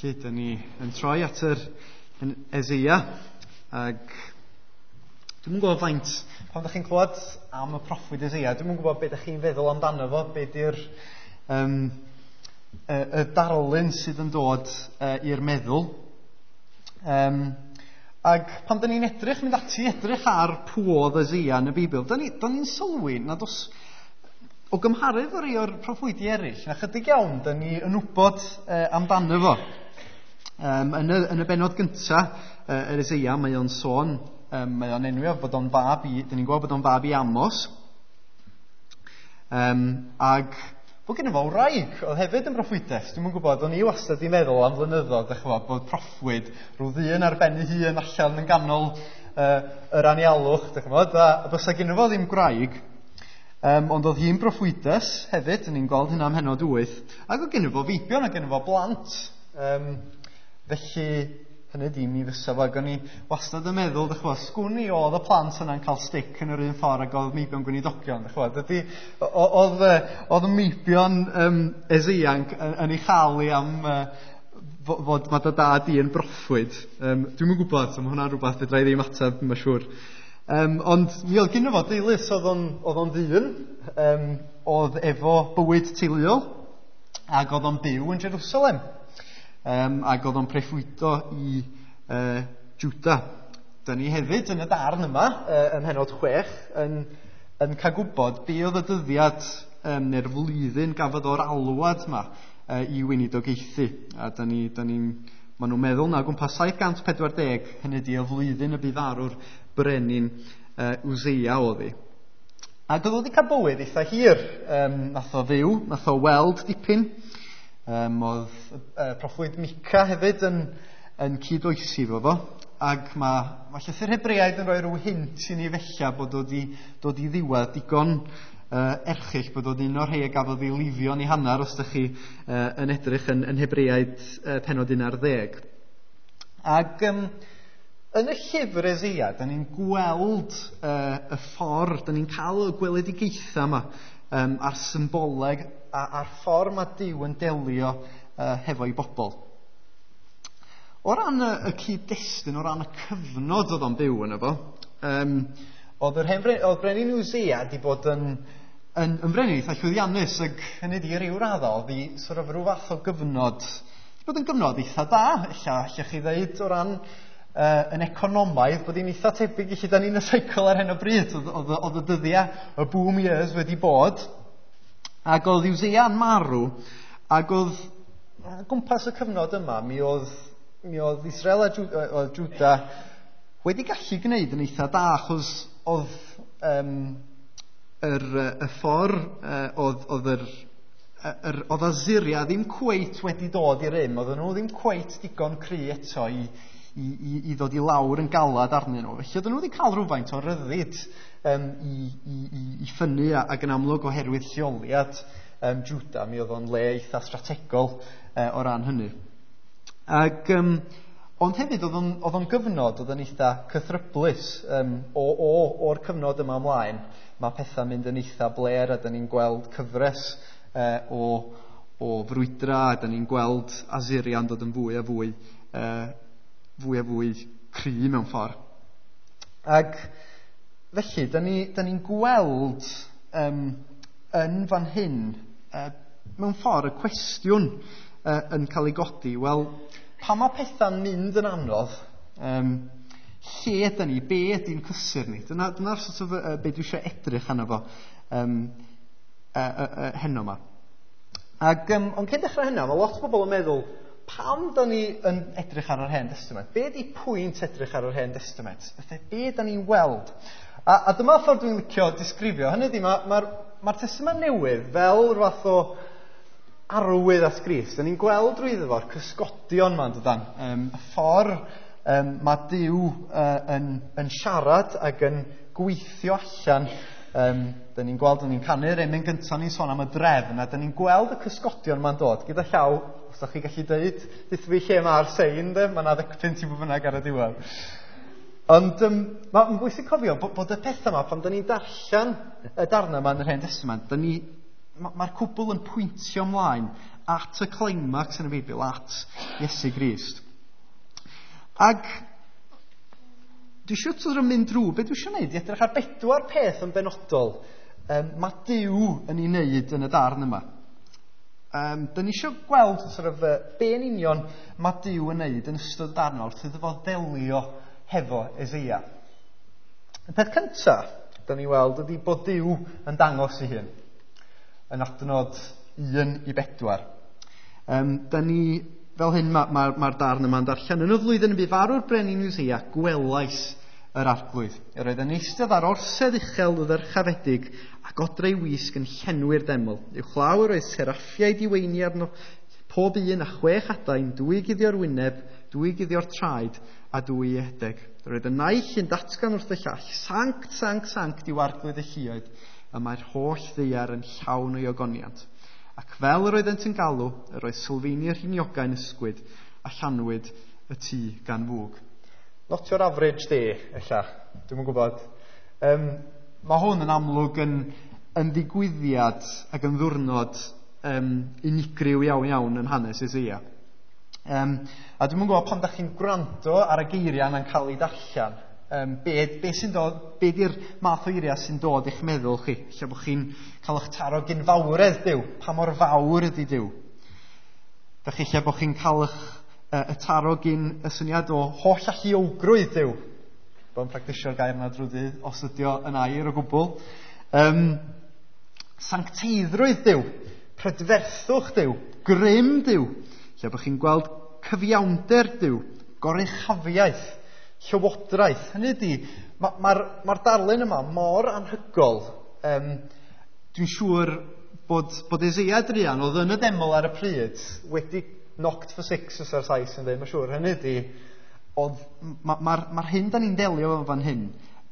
Felly, dyn ni yn troi at yr Eseia, ac dwi'm yn gwybod faint, pan ydych chi'n clywed am y proffwyd Eseia, dwi'm yn gwybod beth ydych chi'n feddwl amdano fo, be di'r y darlun sydd yn dod i'r meddwl. Ac pan dyn ni'n edrych, mynd ati edrych ar pw oedd Eseia yn y Beibl, dyn ni'n sylwi nad oes, o gymharu efo rhai o'r proffwydi eraill, na chydig iawn dyn ni yn wybod amdano fo. Yn y bennod gyntaf, yr Eseia, mae o'n sôn, mae o'n enwi bod o'n fab i, dyn ni'n gweld bod o'n fab i Amos. Ac bod gen i fo wraig, oedd hefyd yn broffwydes. Dwi'm yn gwybod, o'n i wastad i meddwl am flynyddoedd, dych ch'mod, bod proffwyd rhyw ddyn ar ben ei hun allan yn ganol yr anialwch, dych ch'mod, a bysa gen i fo ddim gwraig. Ond oedd hi'n broffwydes hefyd, ni'n gweld hynna ym mhennod 8, ac oedd gen i fo feibion, ac gen i fo blant. Felly, hynny di, mi fysa fo, ac o'n i wastad yn meddwl, dych ch'mod, sgwn i oedd y plant yna'n cael stick yn yr un ffordd ac oedd meibion gweinidogion, dych ch'mod, ydy, oedd meibion Eseia yn ei chael i am fod mae dy dad i yn broffwyd. Dwi'm yn gwybod, mae hwnna'n rhywbeth fedra i ddim ateb, mae'n siŵr. Ond mi oedd gynno fo deulu, so oedd o'n ddyn, oedd efo bywyd teuluol, ac oedd o'n byw yn Jerusalem, ac oedd o'n preffwydo i Juda. Dyna ni hefyd yn y darn yma, ym mhennod 6, yn cael gwybod be oedd y dyddiad neu'r flwyddyn gafodd o'r alwad yma i weinidogaethu. A maen nhw'n meddwl na gwmpas 740, hynny di y flwyddyn y bu farw'r brenin Useia oedd hi. Ac oedd o wedi cael bywyd eitha hir. Nath o fyw, nath o weld dipyn. Oedd proffwyd Mica hefyd yn cyd-oesi fo fo. Ac mae llythyr Hebreaid yn rhoi rhyw hint i ni fella bod o wedi dod i ddiwedd digon erchyll, bod o'n un o'r rhai a gafodd ei lifio yn ei hanner, os ydych chi yn edrych yn Hebreaid pennod 11. Ac yn y llyfr Eseia, da ni'n gweld y ffordd, da ni'n cael y gweledigaethau yma, a'r symboleg, a'r ffordd mae Duw yn delio hefo'i bobl. O ran y cyd-destun, o ran y cyfnod oedd o'n byw yno fo, oedd brenin Useia wedi bod yn brenin eitha llwyddiannus, ac hynny di ryw raddau, oedd hi sort of rhyw fath o gyfnod, wedi bod yn gyfnod eitha da, ella allech chi ddeud, o ran yn economaidd, bod hi'n eitha tebyg i lle da ni'n y cycle ar hyn o bryd. Oedd y dyddiau, y boom years wedi bod, ac oedd Useia'n marw, ac oedd gwmpas y cyfnod yma, mi oedd Israel a Juda wedi gallu gwneud yn eitha da, achos oedd y ffordd oedd Asyria ddim cweit wedi dod i'r rym, oedden nhw ddim cweit digon cry eto i ddod i lawr yn galad arnyn nhw. Felly oedden nhw wedi cael rhywfaint o ryddid i ffynnu, ac yn amlwg oherwydd lleoliad Juda, mi oedd o'n le eitha strategol o ran hynny. Ac ond hefyd oedd o'n gyfnod oedd yn eitha cythryblus. O'r cyfnod yma ymlaen, mae pethau'n mynd yn eitha bler, a dyn ni'n gweld cyfres o frwydra, a dyn ni'n gweld Asyria'n dod yn fwy a fwy fwy cry mewn ffordd. Ac felly, dyn ni'n gweld yn fan hyn, mewn ffordd, y cwestiwn yn cael ei godi. Wel, pan mae pethau'n mynd yn anodd, lle ydyn ni, be ydy'n cysur ni? Dyna'r sort of, be dwi eisiau edrych arno fo heno yma. Ac, ond cyn dechrau hynna, mae lot o bobl yn meddwl, pam da ni yn edrych ar yr Hen Testament? Be ydy pwynt edrych ar yr Hen Testament? Be da ni'n weld? A dyma ffordd dwi'n licio disgrifio. Hynny ydy, mae'r Testament Newydd fel rhywbeth o arwydd at Grist. Da ni'n gweld drwyddo fo'r cysgodion yma, dydan. Y ffordd mae Duw yn siarad ac yn gweithio allan. Da ni'n gweld, da ni'n canu'r emyn gyntaf, ni'n sôn am y drefn, a da ni'n gweld y cysgodion yma'n dod. Gyda llaw, os da chi gallu dweud, deutha fi lle mae'r sein, de? Mae yna 10 i bwy bynnag ar y diwedd. Ond mae'n bwysig cofio bod y pethau yma, pan da ni'n darllen y darnau yma yn yr Hen Testament, Mae'r cwbl yn pwyntio ymlaen at y climax yn y Beibl, at Iesu Grist. Ac dwi eisiau sort of mynd drwy, beth dwi eisiau gwneud, i edrych ar bedwar peth yn benodol mae Duw yn ei wneud yn y darn yma. Dyn ni eisiau gweld sort of, be yn union mae Duw yn wneud yn ystod y darn wrth iddo fo ddelio hefo Eseia. Y peth cyntaf, dyn ni weld, ydy bod Duw yn dangos ei hun. Yn adnod 1-4. Dyn ni, fel hyn mae'r darn yma'n darllen. Yn y flwyddyn y bu farw'r brenin Usseia, gwelais yr arglwydd. Yr oedd yn eistedd ar orsedd uchel ddyrchafedig a godreu wisg yn llenwi'r deml. Uwchlaw yr oedd seraffiaid i weini arno, pob un a 6 adain, 2 guddio'r wyneb, 2 guddio'r traed a 2 i edeg. Yr oedd y naill yn datgan wrth y llall, sanct, sanct, sanct yw arglwydd y lluoedd, y mae'r holl ddaear yn llawn o'i ogoniant. Ac fel yr oeddent yn galw, yr oedd sylfeini'r rhiniogau'n ysgwyd a llanwyd y tŷ gan fwg. Not your average day, ella. Dwi'm yn gwybod. Mae hwn yn amlwg yn ddigwyddiad ac yn ddiwrnod unigryw iawn iawn yn hanes Eseia. A dwi'm yn gwybod pan da chi'n gwrando ar y geiriau yna'n cael ei darllen. Be sy'n dod, be di'r math o eiriau sy'n dod i'ch meddwl chi? Lle bod chi'n cael eich taro gyn fawredd Duw, pa mor fawr ydy Duw? Da chi lle bod chi'n cael eich y taro gyn y syniad o holl alluogrwydd Duw. Bod yn practisio'r gair yna drwy ddydd, os ydy o yn air o gwbl. Sancteiddrwydd Duw, prydferthwch Duw, grym Duw. Lle bod chi'n gweld cyfiawnder Duw, goruchafiaeth, llywodraeth. Hynny ydy, mae'r darlun yma mor anhygol. Dwi'n siŵr bod Eseia druan oedd yn y deml ar y pryd wedi knocked for six os ar Sais yn dweud, mae'n siŵr. Hynny ydy, mae'r hyn da ni'n delio efo fan hyn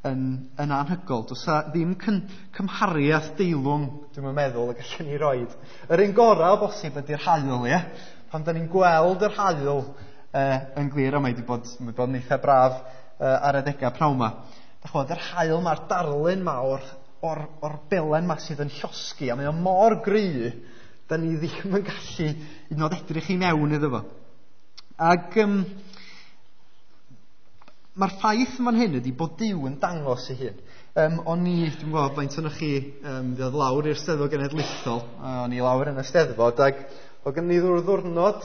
yn anhygol. Does 'na ddim cymhariaeth deilwng, dwi'n meddwl, y gallwn ni roed. Yr un gorau o bosib ydy'r haul, ie? Pan da ni'n gweld yr haul yn glir, a mae wedi bod, mae bod yn eitha braf ar adegau pnawn 'ma. Dach ch'mod, yr haul ma'r darlun ma o'r belen ma sydd yn llosgi, a mae o mor gry, da ni ddim yn gallu hyd yn oed edrych i mewn iddo fo. Ac mae'r ffaith fan hyn ydy bod Duw yn dangos ei hun. O'n i, dwi'n gwybod faint ohonoch chi ddod lawr i'r Steddfod Genedlaethol, o'n i lawr yn y Steddfod, ac oedd gen i ddiwrnod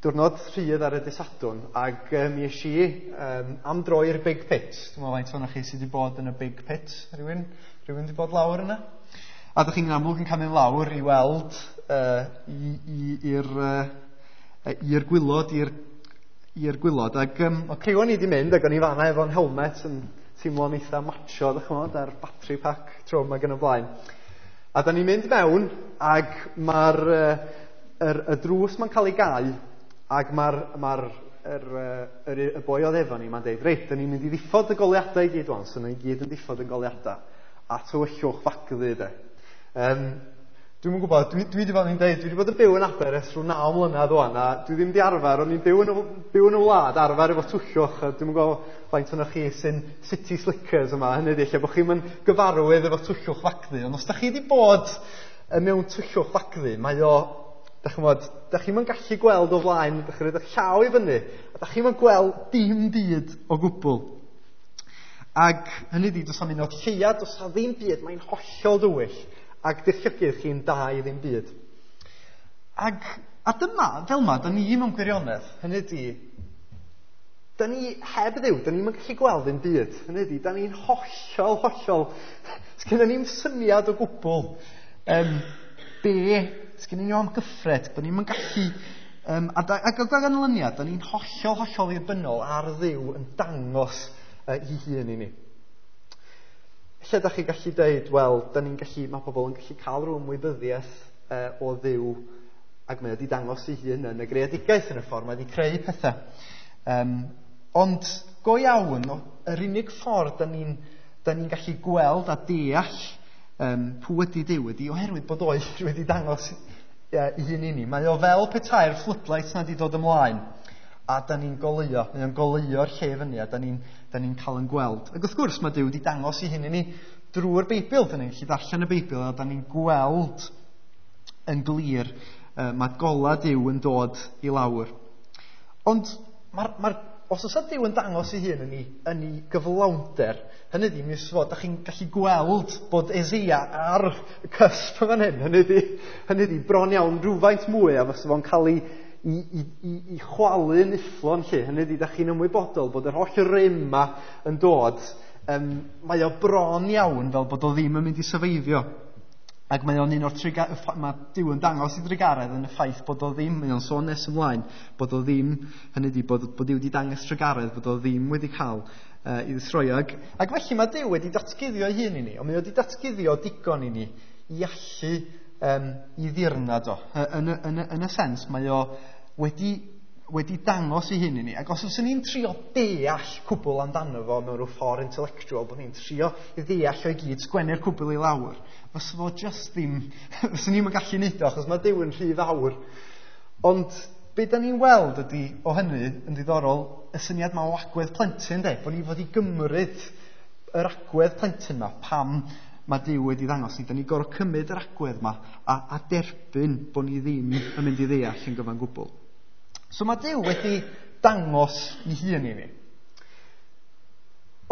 diwrnod rhydd ar y dydd Sadwrn, ac mi es i am dro i'r Big Pit. Dwi'n meddwl faint ohonoch chi sydd wedi bod yn y Big Pit. Rhywun wedi bod lawr yna? A ydych chi'n amlwg yn cael mynd lawr i weld i'r gwylod, i'r gwylod. Ac o criw o'n i wedi mynd, ac o'n i fanna efo'n helmet yn teimlo'n eitha macho, dych ch'mod, ar battery pack trwm ac yn y blaen. A da ni'n mynd mewn, ac mae'r y drws ma'n cael ei gau, ac mae'r y boi oedd efo ni, mae'n deud, reit, da ni'n mynd i ddiffodd y goleuadau i gyd wan, so ni gyd yn diffodd y goleuadau, a tywyllwch fagddu, de. Dwi'm yn gwybod, dwi wedi bod yn deud, dwi wedi bod yn byw yn Aber ers rhyw 9 mlynedd wan, a dwi ddim wedi arfer, o'n i'n byw yn y wlad, arfer efo tywyllwch, a dwi'm yn gwybod faint ohonoch chi sy'n city slickers yma, hynny ydi, lle bod chi'm yn gyfarwydd efo tywyllwch fagddu, ond os da chi wedi bod mewn tywyllwch fagddu, mae o, dach ch'mod, dach chi'm yn gallu gweld o flaen, dach chi'n rhoid eich llaw i fyny, a dach chi'm yn gweld dim byd o gwbl. Ac hynny ydi, does 'na'm un o'r lleuad, does 'na ddim byd, mae'n hollol dywyll, ac di'r llygaid chi'n da i ddim byd. Ac, a dyma, fel ma, da ni mewn gwirionedd, hynny ydi, da ni heb Dduw, da ni'm yn gallu gweld ddim byd. Hynny ydi, da ni'n hollol, hollol, sgynnon ni'm syniad o gwbl, be, sgynnon ni amgyffred, da ni'm yn gallu, ac o ganlyniad, da ni'n hollol, hollol ddibynnol ar Dduw yn dangos ei hun i ni. Lle da chi gallu deud, wel, da ni'n gallu, mae pobl yn gallu cael rhyw ymwybyddiaeth o Dduw, ac mae wedi dangos ei hun yn y greadigaeth yn y ffordd mae wedi creu pethau. Ond go iawn, yr unig ffordd da ni'n gallu gweld a deall pwy ydy Duw ydy oherwydd bod o wedi dangos ei hun i ni. Mae o fel petai'r floodlights na wedi dod ymlaen, a da ni'n goleuo, mae o'n goleuo'r lle fyny, a da ni'n cael yn gweld. Ac wrth gwrs mae Duw wedi dangos ei hun i ni drwy'r Beibl. Da ni'n gallu darllen y Beibl a da ni'n gweld yn glir mae gola Duw yn dod i lawr. Ond os oes Duw yn dangos ei hun yn ei gyflawnder, hynny ydi, mi fod, da chi'n gallu gweld bod Eseia ar y cusp yn fan hyn. Hynny ydi, bron iawn rhywfaint mwy a fysa fo'n cael ei chwalu yn ufflon lle. Hynny ydi, da chi'n ymwybodol bod yr holl rym yma yn dod. Mae o bron iawn fel bod o ddim yn mynd i syfeifio. Ac mae o'n un o'r mae Duw yn dangos i drugaredd yn y ffaith bod o ddim, mae o'n sôn nes ymlaen, bod o ddim, hynny ydi, bod Duw wedi dangos trugaredd, bod o ddim wedi cael i ddestroio. Ac felly mae Duw wedi datguddio ei hun i ni, ond mae o wedi datguddio digon i ni i allu i ddirnad o. Yn y sens, mae o wedi dangos ei hun i ni. Ac os fyswn ni'n trio deall cwbl amdano fo mewn rhyw ffordd intellectual, bod ni'n trio i ddeall o'i gyd, sgwennu'r cwbl i lawr, fysa fo just ddim, fyswn ni'm yn gallu neud o, achos mae Duw yn rhy fawr. Ond be da ni'n weld ydy o hynny yn ddiddorol, y syniad ma o agwedd plentyn, de, bod ni fod i gymryd yr agwedd plentyn ma, pam mae Duw wedi ddangos ni, da ni gorfod cymryd yr agwedd ma a derbyn bod ni ddim yn mynd i ddeall yn gyfan gwbl. So mae Duw wedi dangos ei hun i ni.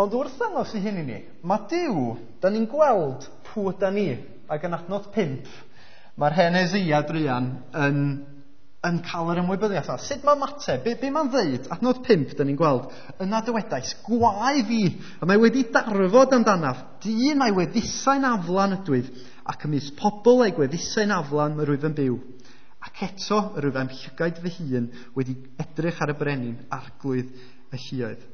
Ond wrth ddangos ei hun i ni, mae Duw, da ni'n gweld pwy yda ni, ac yn adnod 5, mae'r hen Eseia druan yn cael yr ymwybyddiaeth. Sut mae ymateb? Be mae'n ddeud? Adnod 5, da ni'n gweld, yna dywedais, gwae fi, a mae wedi darfod amdanaf, dyn mae gwefusau'n aflan ydwyf, ac ymysg pobl a'i gwefusau'n aflan mae rwyf yn byw. Ac eto, yr wyf am llygaid fy hun wedi edrych ar y brenin, arglwydd y lluoedd.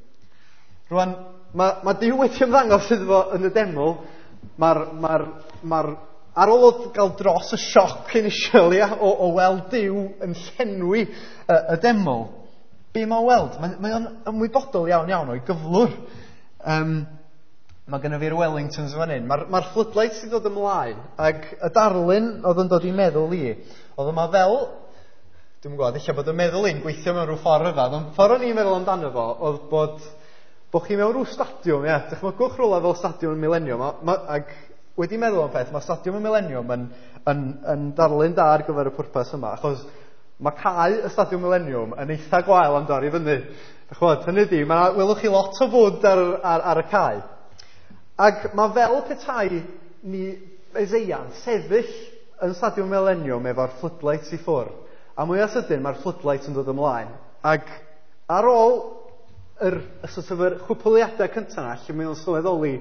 Rwan, mae Duw wedi ymddangos iddo fo yn y deml. Ar ôl o gael dros y sioc initial, ia, o weld Duw yn llenwi y deml, be mae'n weld? Mae o'n ymwybodol iawn iawn o'i gyflwr. Mae gynno fi'r Wellingtons fan hyn. Mae'r floodlights sydd dod ymlaen, ac y darlun oedd yn dod i meddwl i, oedd yma fel, dwi'n gwybod, ella bod y meddwl i'n gweithio mewn rhyw ffordd rhyfedd, ond ffordd o'n i'n meddwl amdano fo, oedd bod chi mewn rhyw stadiwm, ia, dychmygwch rhywle fel Stadiwm Millennium, ac wedi meddwl am peth, mae Stadiwm y Millennium yn darlun da ar gyfer y pwrpas yma, achos mae cae y Stadiwm Millennium yn eitha gwael am dorri fyny. Dych hynny ydi, welwch chi lot o fwd ar y cae. Ac mae fel petai ni Eseia'n sefyll yn Stadiwm Millennium efo'r floodlights i ffwrdd. A mwyaf sydyn mae'r floodlights yn dod ymlaen. Ac ar ôl yr sort of yr chwpwliadau cyntaf yna, lle mae o'n sylweddoli,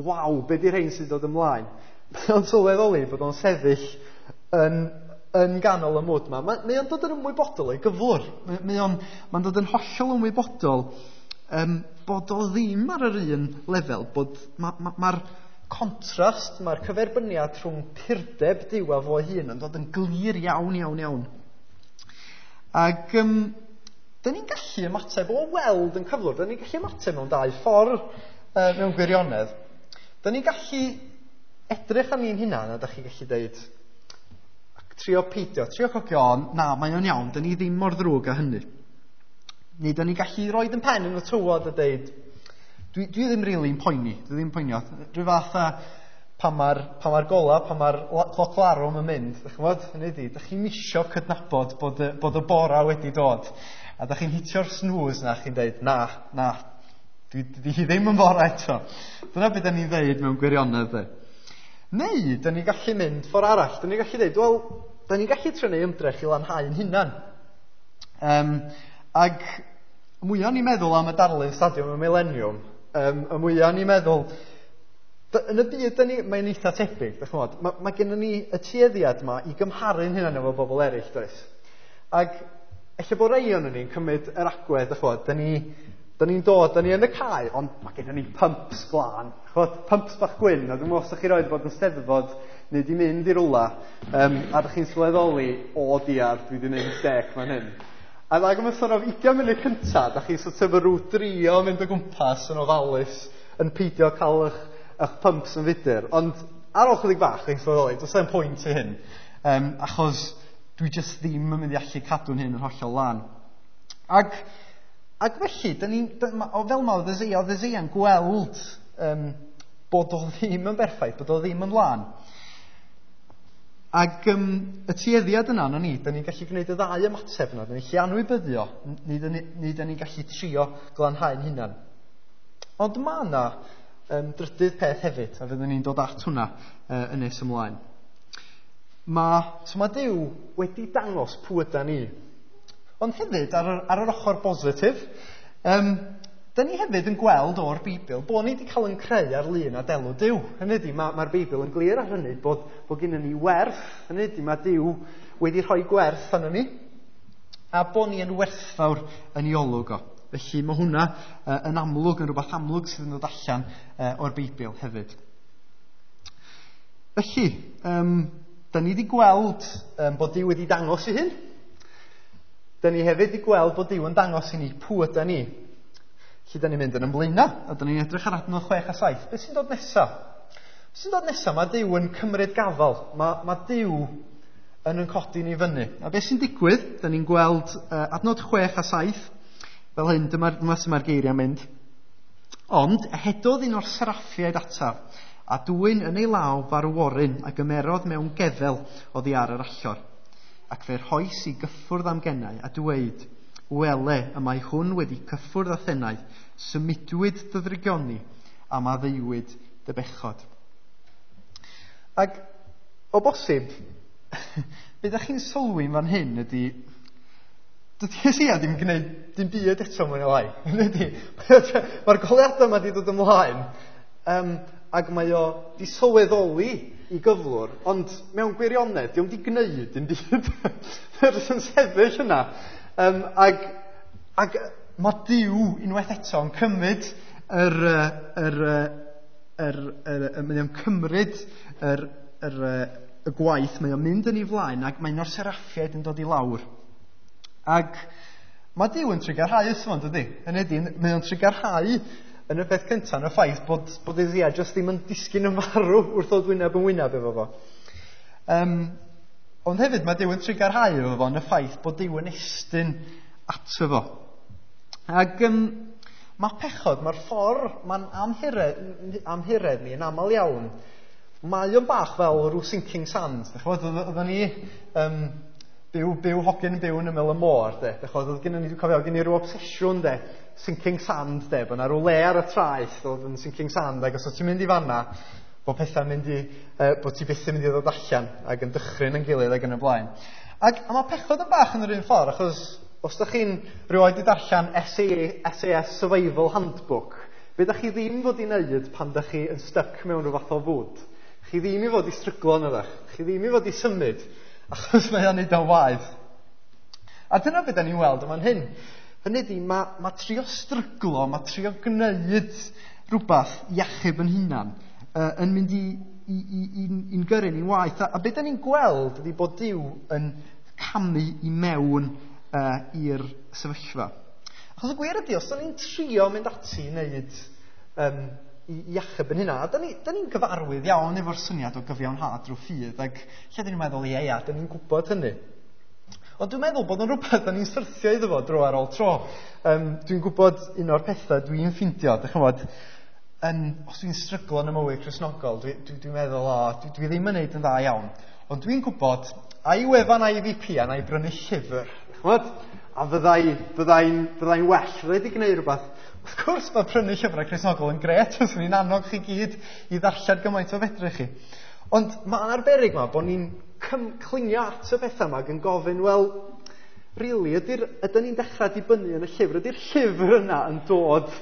waw, be di'r rhain sy'n dod ymlaen? Mae o'n sylweddoli bod o'n sefyll yn ganol y mwd yma. Mae o'n dod yn ymwybodol o'i gyflwr. Mae'n dod yn hollol ymwybodol bod o ddim ar yr un lefel, bod mae'r contrast, mae'r cyferbyniad rhwng purdeb Duw a fo hun yn dod yn glir iawn, iawn, iawn. Ac da ni'n gallu ymateb o weld yn cyflwr, da ni'n gallu ymateb mewn dau ffordd mewn gwirionedd. Da ni'n gallu edrych ar ni'n hunan a da chi'n gallu deud, ac trio peidio, trio cogio, na, mae o'n iawn, da ni ddim mor ddrwg â hynny. Neu da ni'n gallu roid yn pen yn y tywod a deud, dwi ddim really'n poeni, dwi ddim poeni. Rhyw fath a pan mae'r gola, pan mae'r cloc larwm yn mynd, dych chi'n gwybod, hynny ydi, dych chi'n misio cydnabod bod y bora wedi dod. A dych chi'n hitio'r snooze na, chi'n deud, na, dwi hi ddim yn bora eto. Dyna beth da ni'n ddeud mewn gwirionedd. De. Neu, da ni'n gallu mynd ffordd arall. Da ni'n gallu deud, wel, da ni'n gallu trio neud ymdrech i lanhau'n hunan. Ac mwyaf ni'n meddwl am y darlun Stadiwm y Millennium, y mwyaf ni'n meddwl, yn y byd, mae'n eitha tebyg, dych chi'n gwybod, mae gennym ni y tueddiad yma i gymharu'n hunan efo bobl eraill, does? Ac ella bod rei o'n ni'n cymryd yr agwedd, dych chi'n gwybod, da ni'n dod, da ni yn y cae, ond mae gennym ni pumps glân, ch'mod, pumps bach gwyn, a dwi'n meddwl os ydych chi roed bod yn steddfod neu di mynd i rwla, a dych chi'n sylweddoli, o diar, dwi di mynd mistake fan hyn. A ag am y sort of 20 munud cynta, da chi'n sort of rhyw drio mynd o gwmpas yn ofalus, yn peidio cael eich pumps yn fudur. Ond ar ôl chydig bach, chi'n sylweddoli, does e'n pwynt i hyn, achos dwi just ddim yn mynd i allu cadw'n hyn yn hollol lân. Ac felly, da ni'n, o fel ma oedd Eseia'n gweld Bod o ddim yn berffaith, bod o ddim yn lân. Ac y tueddiad yna, na ni, da ni'n gallu gwneud y ddau ymateb yna. Da ni'n gallu anwybyddio, neu da ni'n gallu trio glanhau'n hunan. Ond mae yna drydydd peth hefyd, a fyddwn ni'n dod at hwnna yn nes ymlaen. So mae Duw wedi dangos pwy yda ni. Ond hefyd, ar yr ochr bositif, da ni hefyd yn gweld o'r Beibl bod ni wedi cael yn creu ar lun a delw Duw. Hynny ydy, mae'r Beibl yn glir ar hynny bod gennym ni werth. Hynny ydy, mae Duw wedi rhoi gwerth arno ni a bod ni yn werthfawr yn ei olwg o. Felly mae hwnna yn amlwg, yn rhywbeth amlwg sydd yn dod allan o'r Beibl hefyd. Felly, da ni wedi gweld bod Duw wedi dangos ei hun. Da ni hefyd wedi gweld bod Duw yn dangos i ni pwy yda ni. Felly, da ni'n mynd yn ymlaen, a da ni'n edrych ar adnod 6 a 7. Beth sy'n dod nesaf? Beth sy'n dod nesaf? Mae Duw yn cymryd gafal. Mae Duw yn codi ni fyny. A beth sy'n digwydd? Da ni'n gweld adnod 6 a 7. Fel hyn, dyma sy'n mae'r geiriau'n mynd. Ond ehedodd un o'r seraffiaid ataf, a dwyn yn ei law farworyn a gymerodd mewn gefel oddi ar yr allor. Ac fe rhoes i gyffwrdd am gennau a dweud, wele, y mae hwn wedi cyffwrdd â thenau, symudwyd dy ddrygioni a maddeuwyd dy bechod. Ac o bosib, be ydych chi'n sylwi fan hyn ydy, dydy Eseia ddim gwneud dim byd eto mwy neu lai. Mae'r goleuadau yma wedi dod ymlaen, ac mae o wedi sylweddoli i gyflwr, ond mewn gwirionedd, dio'm wedi gwneud dim byd. Mae'n jyst yn sefyll yna. Ac mae Duw unwaith eto yn cymryd mae o'n cymryd y gwaith, mae o'n mynd yn ei flaen, ac mae un o'r seraffiaid yn dod i lawr. Ac mae Duw yn trugarhau wrtho fo, dydy? Hynny ydy, mae o'n trugarhau yn y peth cyntaf yn y ffaith bod Eseia jyst ddim yn disgyn yn farw wrth ddod wyneb yn wyneb efo fo. Ond hefyd mae Duw yn trugarhau efo fo yn y ffaith bod Duw yn estyn ato fo. Ac mae pechod, mae'r ffordd, mae'n amhuredd ni yn aml iawn. Mae o'n bach fel rhyw sinking sand. Oedden ni byw hogyn byw yn ymyl y môr, de. Oedd gennym ni, dwi'n cofio, gen i rhyw obsesiwn, de, sinking sand, de, bod yna rhyw le ar y traeth oedd yn sinking sand, ac os ti'n mynd i fanna, bod pethau'n mynd i, bod ti byth yn mynd i ddod allan, ac yn dychryn yn gilydd ac yn y blaen. Ac a mae pechod yn bach yn yr un ffordd, achos os ydych chi'n rioed i darllen SAS Survival Handbook, be ydych chi ddim fod i wneud pan ydych chi yn stuck mewn rhyw fath o fwd? Chi ddim i fod i stryglo yn ydych, chi ddim i fod i symud, achos mae o'n neud o'n waeth. A dyna beth da ni'n weld yma'n hyn. Hynny ydy, mae trio stryglo, mae trio gwneud rhywbeth i achub yn hunan, yn mynd i'n gyrru ni'n waeth. A beth da ni'n gweld ydy bod Duw yn camu i mewn i'r sefyllfa. Achos y gwir ydy, os da ni'n trio mynd ati i wneud i achub yn hynna, a da ni'n gyfarwydd iawn efo'r syniad o gyfiawnhad drwy ffydd, ac lle da ni'n meddwl, ie, da ni'n gwybod hynny. Ond dwi'n meddwl bod yn rhywbeth da ni'n syrthio iddo fo dro ar ôl tro. Dwi'n gwybod un o'r pethau dwi'n ffindio, dych chi'n gwybod, os dwi'n stryglo yn y mywyd Cristnogol, dwi'n meddwl, dwi ddim yn neud yn dda iawn. Ond dwi'n gwybod, a'i wefan IVP a na i brynu llyfr, ch'mod? A fyddai'n well, fyddai wedi gwneud rhywbeth. Wrth gwrs mae prynu llyfrau Cristnogol yn grêt, fyswn i'n annog chi gyd i ddarllen gymaint o fedrwch chi. Ond mae'n arbennig yma bod ni'n clingio at y pethau yma ac yn gofyn, wel, really, ydyn ni'n dechrau dibynnu yn y llyfr? Ydy'r llyfr yna yn dod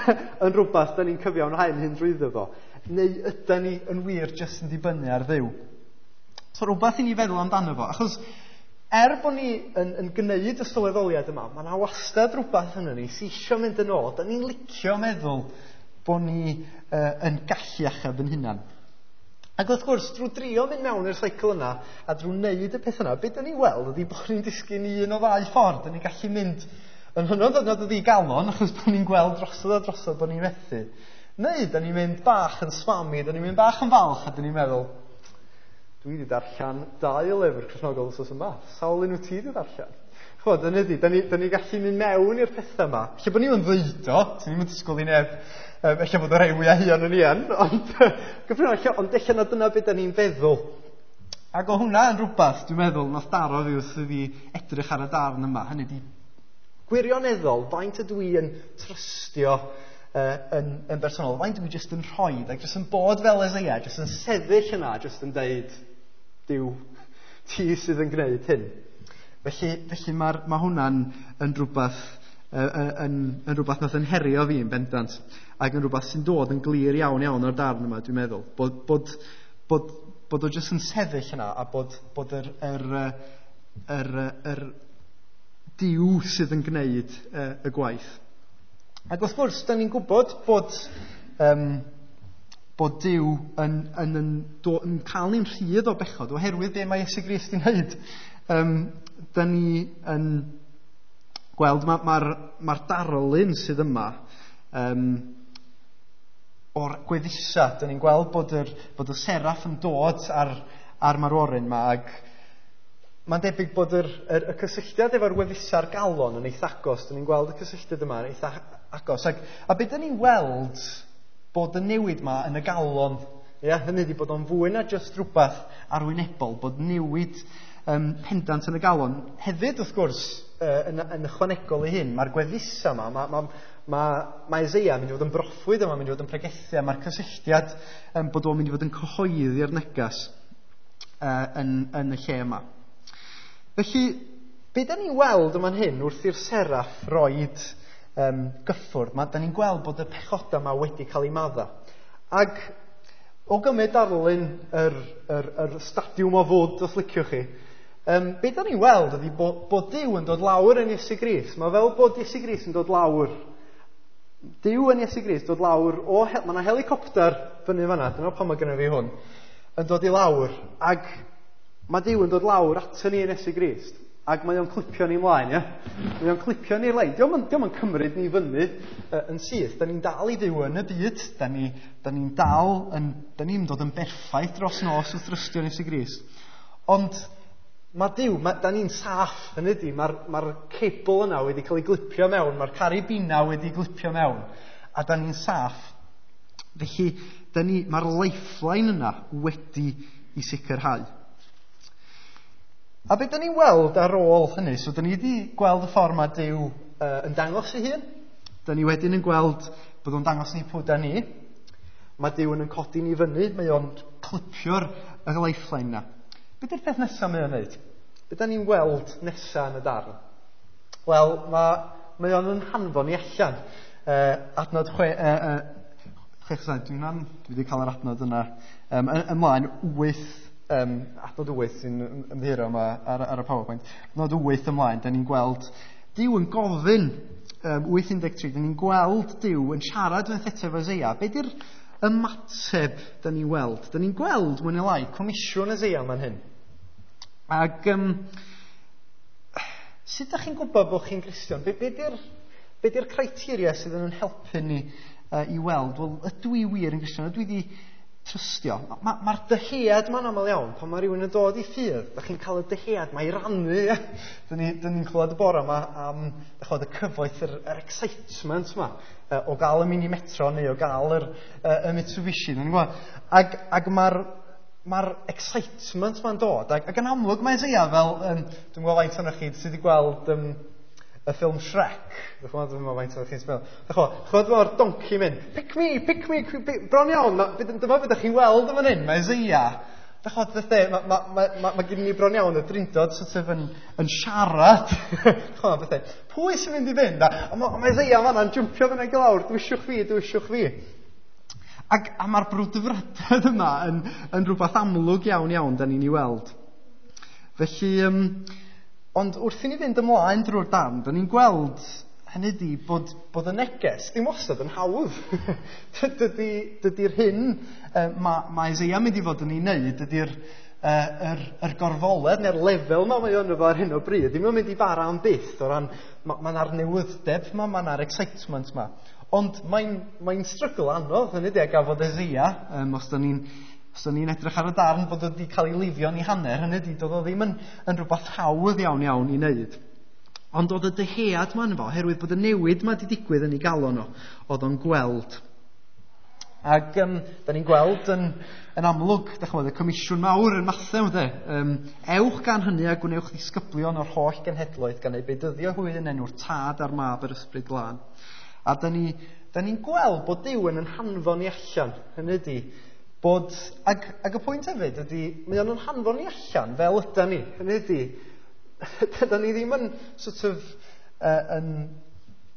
yn rhywbeth da ni'n cyfiawnhau'n hyn drwyddo fo? Neu ydyn ni yn wir jyst yn dibynnu ar Dduw? So rhywbeth i ni feddwl amdano fo, achos bod ni yn gwneud y sylweddoliad yma, mae yna wastad rhywbeth yn ni sy'n eisiau mynd yn ôl. Da ni'n licio meddwl bod ni yn gallu achub yn hunan. Ac wrth gwrs, drwy drio mynd mewn i'r seicl yna a drwy wneud y peth yna, beth da ni'n weld ydy bod ni'n disgyn i un o ddau ffordd. Da ni'n gallu mynd yn hynod o ddigalon, achos bod ni'n gweld drosodd a drosodd bod ni'n methu. Neu da ni'n mynd bach yn swami, da ni'n mynd bach yn falch a da ni'n meddwl, dwi wedi darllen 2 lyfr Cristnogol wythnos yma. Sawl un wyt ti wedi darllen? Ch'mod, hynny ydi, da ni gallu mynd mewn i'r pethau yma. Lle bod ni'n ddeud o, ti'n ni'n disgwyl i neb, ella bod y rhai fwyaf huan yn ian, ond gyffredinol, ond ella na dyna beth da ni'n feddwl. Ac o hwnna yn rhywbeth, dwi'n meddwl, nath daro fi wrth i fi edrych ar y darn yma. Hynny ydi, gwirioneddol, faint ydw i yn trystio yn bersonol, faint ydw i jyst yn rhoi, ac jyst yn bod fel Eseia, jyst yn sefyll yna, jyst yn deud, Duw, ti sydd yn gwneud hyn. Felly mae hwnna'n yn rhywbeth, yn rhywbeth nath yn herio fi yn bendant, ac yn rhywbeth sy'n dod yn glir iawn iawn o'r darn yma, dwi'n meddwl. Bod o jyst yn sefyll yna, a bod yr Duw sydd yn gwneud y gwaith. Ac wrth gwrs, da ni'n gwybod bod Duw yn cael ni'n rhydd o bechod oherwydd be mae Iesu Grist yn wneud. Da ni yn gweld mae'r darlun sydd yma o'r gweddusa. Da ni'n gweld bod y seraff yn dod ar marworyn yma, ac mae'n debyg bod y cysylltiad efo'r gweddusa'r galon yn eitha agos. Da ni'n gweld y cysylltiad yma yn eitha agos. A beth da ni'n weld bod y newid yma yn y galon, ia, hynny ydi bod o'n fwy na jyst rhywbeth arwynebol, bod newid pendant yn y galon. Hefyd, wrth gwrs, yn ychwanegol i hyn, mae'r gweddusa yma, mae Eseia yn mynd i fod yn broffwyd yma, mynd i fod yn pregethu, a mae'r cysylltiad bod o'n mynd i fod yn cyhoeddi'r negas yn y lle yma. Felly, be da ni'n weld yma'n hyn wrth i'r seraff roed gyffwrdd, da ni'n gweld bod y pechodau yma wedi cael eu madda. Ac o gymryd darlun yr stadiwm o fod, os liciwch chi, be da ni'n weld ydy bod Duw yn dod lawr yn Iesu Grist. Mae fel bod Iesu Grist yn dod lawr. Duw yn Iesu Grist dod lawr o... Mae yna helicopter fyny fan'na, dyna pam mae gynno fi hwn, yn dod i lawr, ac mae Duw yn dod lawr ato ni yn Iesu Grist, ac mae o'n clipio ni ymlaen, ie? Mae o'n clipio ni'r lein. Dio'm yn cymryd ni fyny yn syth. Da ni'n dal i fyw yn y byd. Da ni'n dal yn... Da ni'n dod yn berffaith dros nos wrth drystio yn Iesu Grist. Ond mae Duw, da ni'n saff, hynny ydi, mae'r cebl yna wedi cael ei glipio mewn, mae'r carabina wedi glipio mewn, a da ni'n saff. Felly, mae'r lifeline yna wedi i sicrhau. A beth da ni'n weld ar ôl hynny, so da ni wedi gweld y ffordd mae Duw yn dangos ei hun. Da ni wedyn yn gweld bod o'n dangos ni pwy da ni. Mae Duw yn codi ni fyny, mae o'n clipio'r lifeline yna. Be di'r peth nesaf mae o'n wneud? Be da ni'n weld nesaf yn y darn? Wel, mae o'n yn hanfon ni allan. Adnod 6, dwi wedi cael yr adnod yna. Ymlaen, 8, adnod 8 sy'n ymddiheuro yma ar y PowerPoint. Adnod 8 ymlaen, da ni'n gweld Duw yn gofyn, 8:13, da ni'n gweld Duw yn siarad yn efo Eseia. Be di'r ymateb da ni'n weld? Da ni'n gweld, mwy neu lai, comisiwn Eseia man hyn. Ac sut ydych chi'n gwybod bod chi'n Gristion? Be di'r criteria sydd yn helpu ni i weld? Wel, ydw i wir yn Gristion? Ydw i wedi trystio? Mae'r dyhead ma'n aml iawn, pan mae rhywun yn dod i ffydd, da chi'n cael y dyhead, mae i rannu. Da ni'n clywed y bore yma am y cyfoeth, yr excitement yma, o gael y mini metro neu o gael y Mitsubishi. Ac mae'r excitement ma'n dod. Ac yn amlwg mae Eseia fel, dwi'n gwybod faint ohonoch chi sydd wedi gweld y ffilm Shrek. Dwi'n gwybod faint ohonoch chi'n sbio. Ch'mod mae'r donkey mynd, pick me, pick me, bron iawn, dyma beth ydych chi'n weld yn fan hyn, mae Eseia. Mae gen ni bron iawn y drindod sort of yn siarad. Ch'mod, bethau, pwy sy'n mynd i fynd? A mae Eseia fan'na'n jwmpio fyny ag i lawr, dwisiwch fi, dwisiwch fi. Ac a mae'r brwdfrydedd yma yn rhywbeth amlwg iawn iawn da ni'n ei weld. Felly, ond wrth i ni fynd ymlaen drwy'r darn, da ni'n gweld hynny ydi bod y neges ddim wastad yn hawdd. Dydy'r hyn mae Eseia mynd i fod yn ei wneud, dydy'r yr gorfoledd neu'r lefel yma mae o'n efo ar hyn o bryd, ddim yn mynd i bara am byth o ran, mae'n ar newyddeb yma, mae'n ar excitement yma. Ond mae'n struggle anodd, hynny ydi, a gafodd Eseia, os da ni'n edrych ar y darn bod wedi cael ei lifio yn ei hanner, hynny ydi, doedd o ddim yn rhywbeth hawdd iawn iawn i wneud. Ond oedd y dyhead ma yno fo, oherwydd bod y newid ma wedi digwydd yn ei galon o, oedd o'n gweld. Ac da ni'n gweld yn amlwg, da chymod, y comisiwn mawr yn Mathew, de. Ewch gan hynny a gwnewch ddisgyblion o'r holl genhedloedd gan eu bedyddio hwy yn enw'r Tad a'r Mab yr Ysbryd Glân. A da ni'n gweld bod Duw yn hanfon ni allan. Hynny ydy, bod, ac y pwynt hefyd ydy, mae o'n hanfon ni allan fel yda ni. Hynny ydy, da ni ddim yn sort of,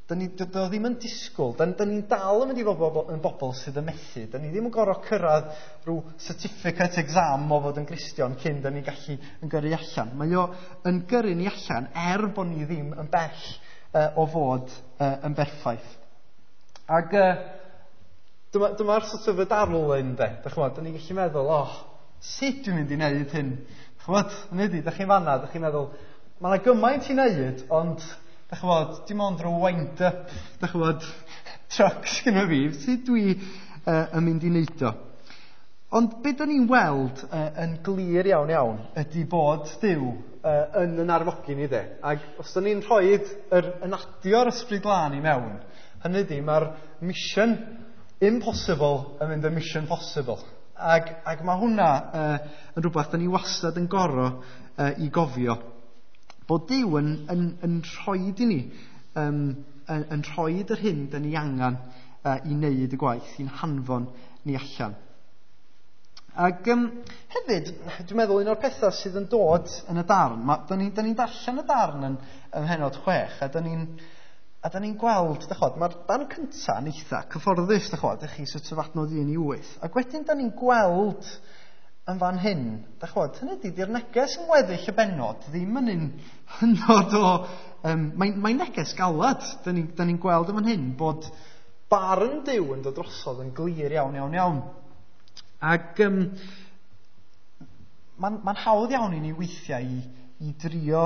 da ni ddim yn disgwyl, da ni'n dal yn mynd i fod yn bobl sydd yn methu. Da ni ddim yn gorfod cyrraedd rhyw certificate exam o fod yn Gristion cyn da ni'n gallu yn gyrru allan. Mae o yn gyrru ni allan er bod ni ddim yn bell o fod yn berffaith. Ac dyma'r sort of y darlun, de. Da chymod, da ni'n gallu meddwl, sut dwi'n mynd i wneud hyn? Chymod, hynny ydi, da chi'n fanna, da chi'n meddwl, mae yna gymaint i wneud, ond da chymod, dim ond rhyw wind-up, da chymod, trucks gyda fi, sut dwi yn mynd i wneud o? Ond be da ni'n weld yn glir iawn iawn ydy bod Duw yn arfogi ni, de. Ac os da ni'n rhoi yn adio'r Ysbryd Glân i mewn, hynny ydy, mae'r mission impossible yn mynd yn mission possible. Ac mae hwnna yn rhywbeth da ni wastad yn gorfod i gofio. Bod Duw yn rhoi i ni, yn rhoi yr hyn da ni angen i wneud y gwaith, i'n hanfon ni allan. Ac hefyd, dwi'n meddwl un o'r pethau sydd yn dod yn y darn, da ni'n darllen y darn yn mhennod 6, a da ni'n gweld, dachod, mae'r darn cyntaf yn eitha cyfforddus, dachod, ydych chi sort of adnod 1 i 8. Ac wedyn da ni'n gweld yn fan hyn, dachod, hynny ydy, di'r neges yn weddill y bennod ddim yn un hynod o... Mae'n neges galad, da ni'n gweld yn fan hyn, bod barn Duw yn dod drosodd yn glir iawn, iawn, iawn. Ac mae'n hawdd iawn i ni weithiau i drio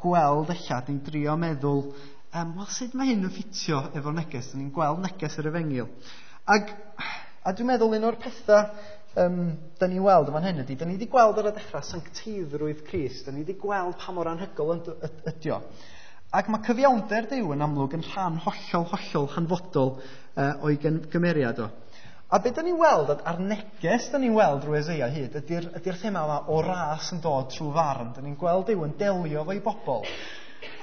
gweld ella, ni'n drio meddwl, wel, sut mae hyn yn ffitio efo'r neges? Da ni'n gweld neges yr efengyl. Ac, a dwi'n meddwl un o'r pethau da ni'n weld yn fan hyn ydy, da ni wedi gweld ar y dechrau sancteiddrwydd Crist, da ni wedi gweld pa mor anhygoel ydy o. Ac mae cyfiawnder Duw yn amlwg yn rhan hollol, hollol hanfodol o'i gymeriad o. A be da ni'n weld, a'r neges da ni'n weld drwy Eseia hyd, ydy'r thema yma o ras yn dod trwy farn. Da ni'n gweld Duw yn delio efo'i bobl.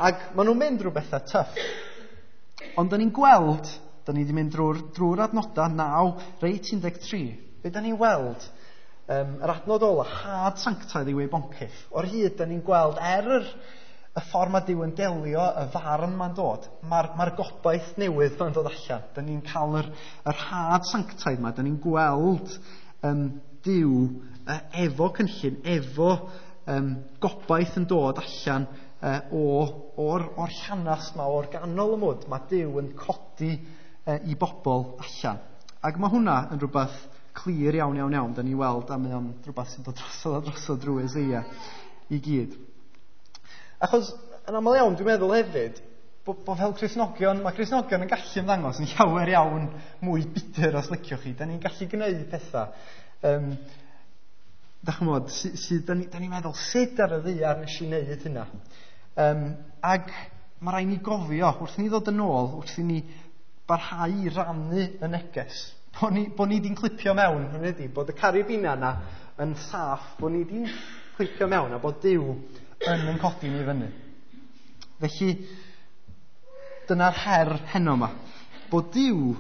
Ac maen nhw'n mynd drwy bethau tyff. Ond da ni'n gweld, da ni wedi mynd drwy'r adnodau 9, reit 13. Be da ni'n weld, yr adnod ola, had sanctaidd yw ei boncyff. O'r hyd, da ni'n gweld er y ffordd mae Duw yn delio, y farn ma'n dod, mae'r gobaith newydd ma'n dod allan. Da ni'n cael yr had sanctaidd ma, da ni'n gweld Duw efo cynllun, efo gobaith yn dod allan o'r llanast ma, o'r ganol y mwd. Mae Duw yn codi i bobl allan. Ac mae hwnna yn rhywbeth clir iawn, iawn, iawn. Da ni'n weld, a mae o'n rhywbeth sy'n dod drosodd a drosodd drwy Eseia i gyd. Achos, yn aml iawn, dwi'n meddwl hefyd, bod fel Cristnogion, mae Cristnogion yn gallu ymddangos yn llawer iawn mwy bitter os liciwch chi. Da ni'n gallu gwneud pethau. Da chymod, da ni'n meddwl, sut ar y ddaear nes i wneud hynna? Ac mae rhaid ni gofio, wrth i ni ddod yn ôl, wrth i ni barhau i rannu y neges, bod ni di'n clipio mewn, hynny ydy, bod y caribina yna yn saff, bod ni di'n clipio mewn a bod Duw yn codi ni fyny. Felly, dyna'r her heno yma, bod Duw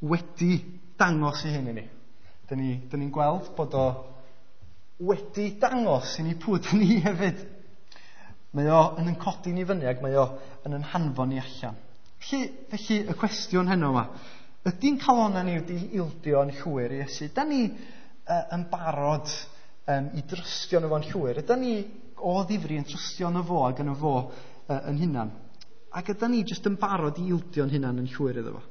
wedi dangos ei hun i ni. Da ni'n gweld bod o wedi dangos i ni pwy dyn ni hefyd. Mae o yn codi ni fyny ac mae o yn hanfon ni allan. Felly y cwestiwn heno yma, ydy'n calonnau ni wedi ildio yn llwyr i Iesu? Da ni yn barod i drystio yn fo'n llwyr? Ydy ni o ddifri yn trystio yn y fo ac yn y fo yn hunan? Ac ydy ni jyst yn barod i ildio'n hunan yn llwyr iddo fo?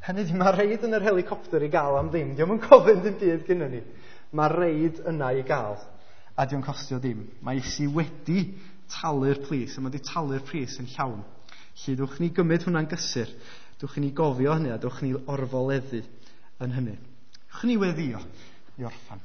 Hynny ydy, mae reid yn yr helicopter i gael am ddim. Dio'm yn gofyn ddim byd gynnon ni. Mae reid yna i gael, a dio'n costio dim. Mae Iesu wedi talu'r pris, a mae wedi talu'r pris yn llawn. Felly, dwch ni gymryd hwnna'n gysur, dwch ni gofio hynny, a dwch ni orfoleddu yn hynny. Dwch ni weddio i orffan.